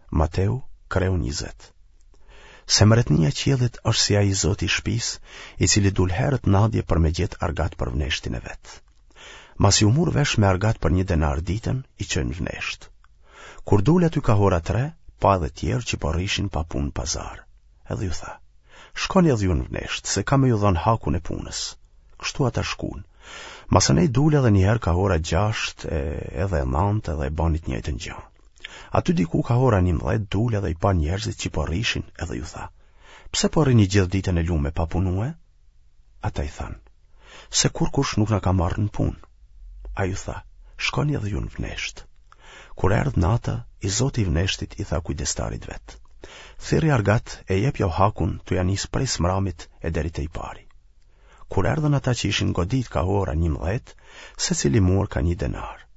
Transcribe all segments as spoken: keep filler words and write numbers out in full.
Mateu, kreu njëzet. Se mretnia e qiellit është si ai i zoti i shpisë, i cili dul herët n'nadje për me gjetë argat për vneshtin e vet. Masi u mur vesh me argat për një denar ditën, i çoi në vneshtë. Kur dul aty ka ora tre, pa edhe tjerë që po rrishin pa punë n'pazar. Edhe ju tha, shkoni edhe ju në vneshtë, se kam me ju dhënë hakun e punës. Kështu ata shkun. Masanej dul edhe njëherë ka ora gjashtë e, edhe e nantë edhe e bani të njëjtën gjë. Aty diku ka ora njëmbëdhjetë dul edhe i pa njerëzit që po rrishin edhe ju tha, pse po rrini gjithë ditën e lume pa punue? Ata i thanë, se kurkush nuk na ka marrë në punë. Ai ju tha, shkoni edhe ju në vneshtë. Kur erdh nata, i zoti i vneshtit i tha kujdestarit vet, thirri argat e jepjau hakun tu ja nis prej s'mramit e deri te i pari. Kur erdhën ata që ishin godit ka ora njëmbëdhjetë, secili mur ka një denar.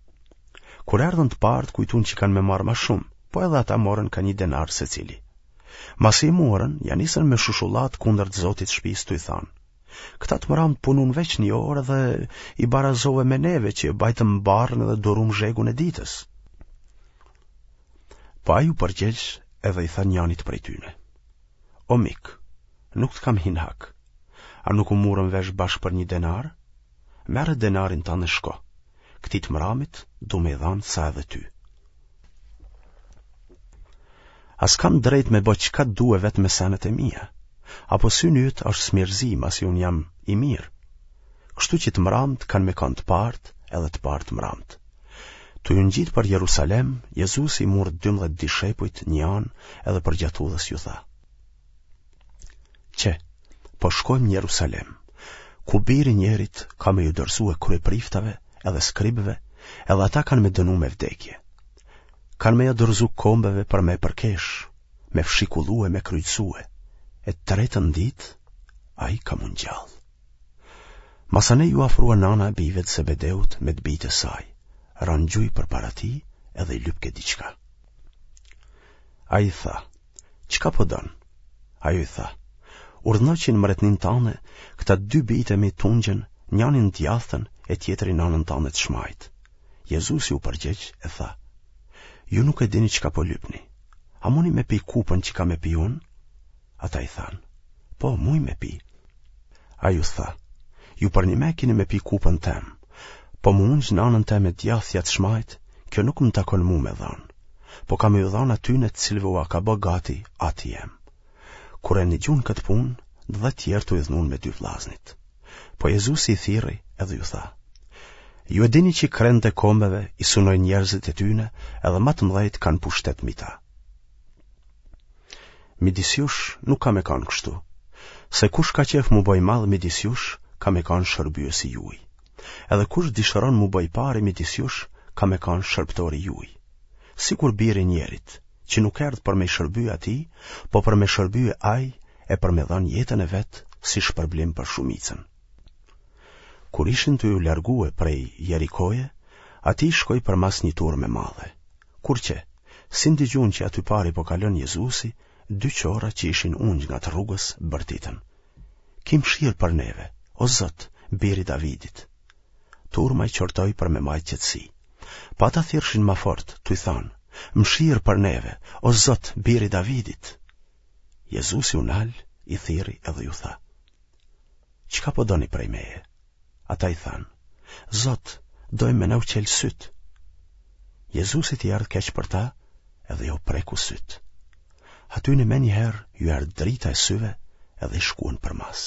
Kur erdhën të parët kujtun që kanë me marrë ma shumë, po edhe ata morën ka një denar secili. Masi i morën, ja nisën me shushullat kundër të zotit shpisë tuj thanë. Këta të mramë punun veç një orë dhe i barazove me neve që bajtëm barrën edhe durum zhegun e ditës. Po ai u përgjegj edhe i tha njanit prej tyne. O mik, nuk të kam hi n'hak. A nuk u murëm vesh bashkë për një denar? Merre denarin tand e shko. Këtij të mramit du me i dhanë sa edhe ty. A s'kam drejt me bo çka du vetë me senet e mia? Apo syni yt është smirëzi, masi unë jam i mirë? Kështu që të mramët kanë me kanë të parët edhe të parët të mramët. Tu ju ngjit për Jerusalem, Jezusi i mur dymbëdhjetë dishepujt një anë edhe përgjatë udhës ju tha. Qe, po shkojmë në Jerusalem, ku biri njerit ka me ju dorëzue kryepriftave edhe skribëve, edhe ata kanë me dënu me vdekje. Kanë me ja dorëzu kombeve për me përkesh, me fshikullu e me kryqëzue, e të tretën ditë, ai ka m'u ngjallë. Masanej ju afrua nana e bijve të Zebedeut me të bijtë e saj, ranë n'gjuj përpara tij edhe i lypke diçka. Ai i tha, Çka po don? Ajo i tha, urdhno që në mretninë tane, këta dy bijtë e mi t'ungjen, njani në djathtën e tjetri në anën tane të shmajtë. Jezusi u përgjegj e tha, ju nuk e dini çka po lypni. A muni me pi kupën që kam me pi unë? Ata i thanë, po, muj me pi. Ai u tha, ju përnime kini me pi kupën tem, po m'u ungj në anën teme djathtë a të shmajtë, kjo nuk më takon mu me dhanë, po ka me ju dhanë atyne të cilëve ua ka bë gati ati jem. Kur e nigjun këtë punë, dhe tjerët u idhnun me dy vllaznit. Po Jezusi i thirri edhe ju tha, ju e dini që krenët e kombeve i sunojnë njerëzit e tyne edhe ma të mdhejt kanë pushtet mi ta. Midis jush nuk ka me kanë kështu, se kush ka qef m'u bo i madh midis jush, ka me kanë shërbyesi juj. Edhe kush dëshiron m'u bo i pari midis jush, ka me kanë shërbëtori juj. Sikur biri njerit, që nuk erdh për me i shërby atij, po për me shërby ai e për me dhanë jetën e vet si shpërblim për shumicën. Kur ishin tu ju largue prej Jerikoje, atij i shkoi përmas një turmë e madhe. Kur qe, si ndigjun që aty pari po kalon Jezusi, dy qorra që ishin ungj ngat rrugës bërtitën. Ki mëshirë për neve, o Zot, biri Davidit. Turma i qortoi për me majtë qetësi. Po ata thirrshin ma fort, tuj thanë, mëshirë për neve, o Zot, biri Davidit. Jezusi u nal, i thirri edhe ju tha. Çka po doni prej meje? Ata i thanë, Zot, dojmë me na u çelë sytë. Jezusit i erdh keq për ta, edhe jau preku sytë. Atyne menjëherë ju erdh drita e syve edhe i shkuan përmas.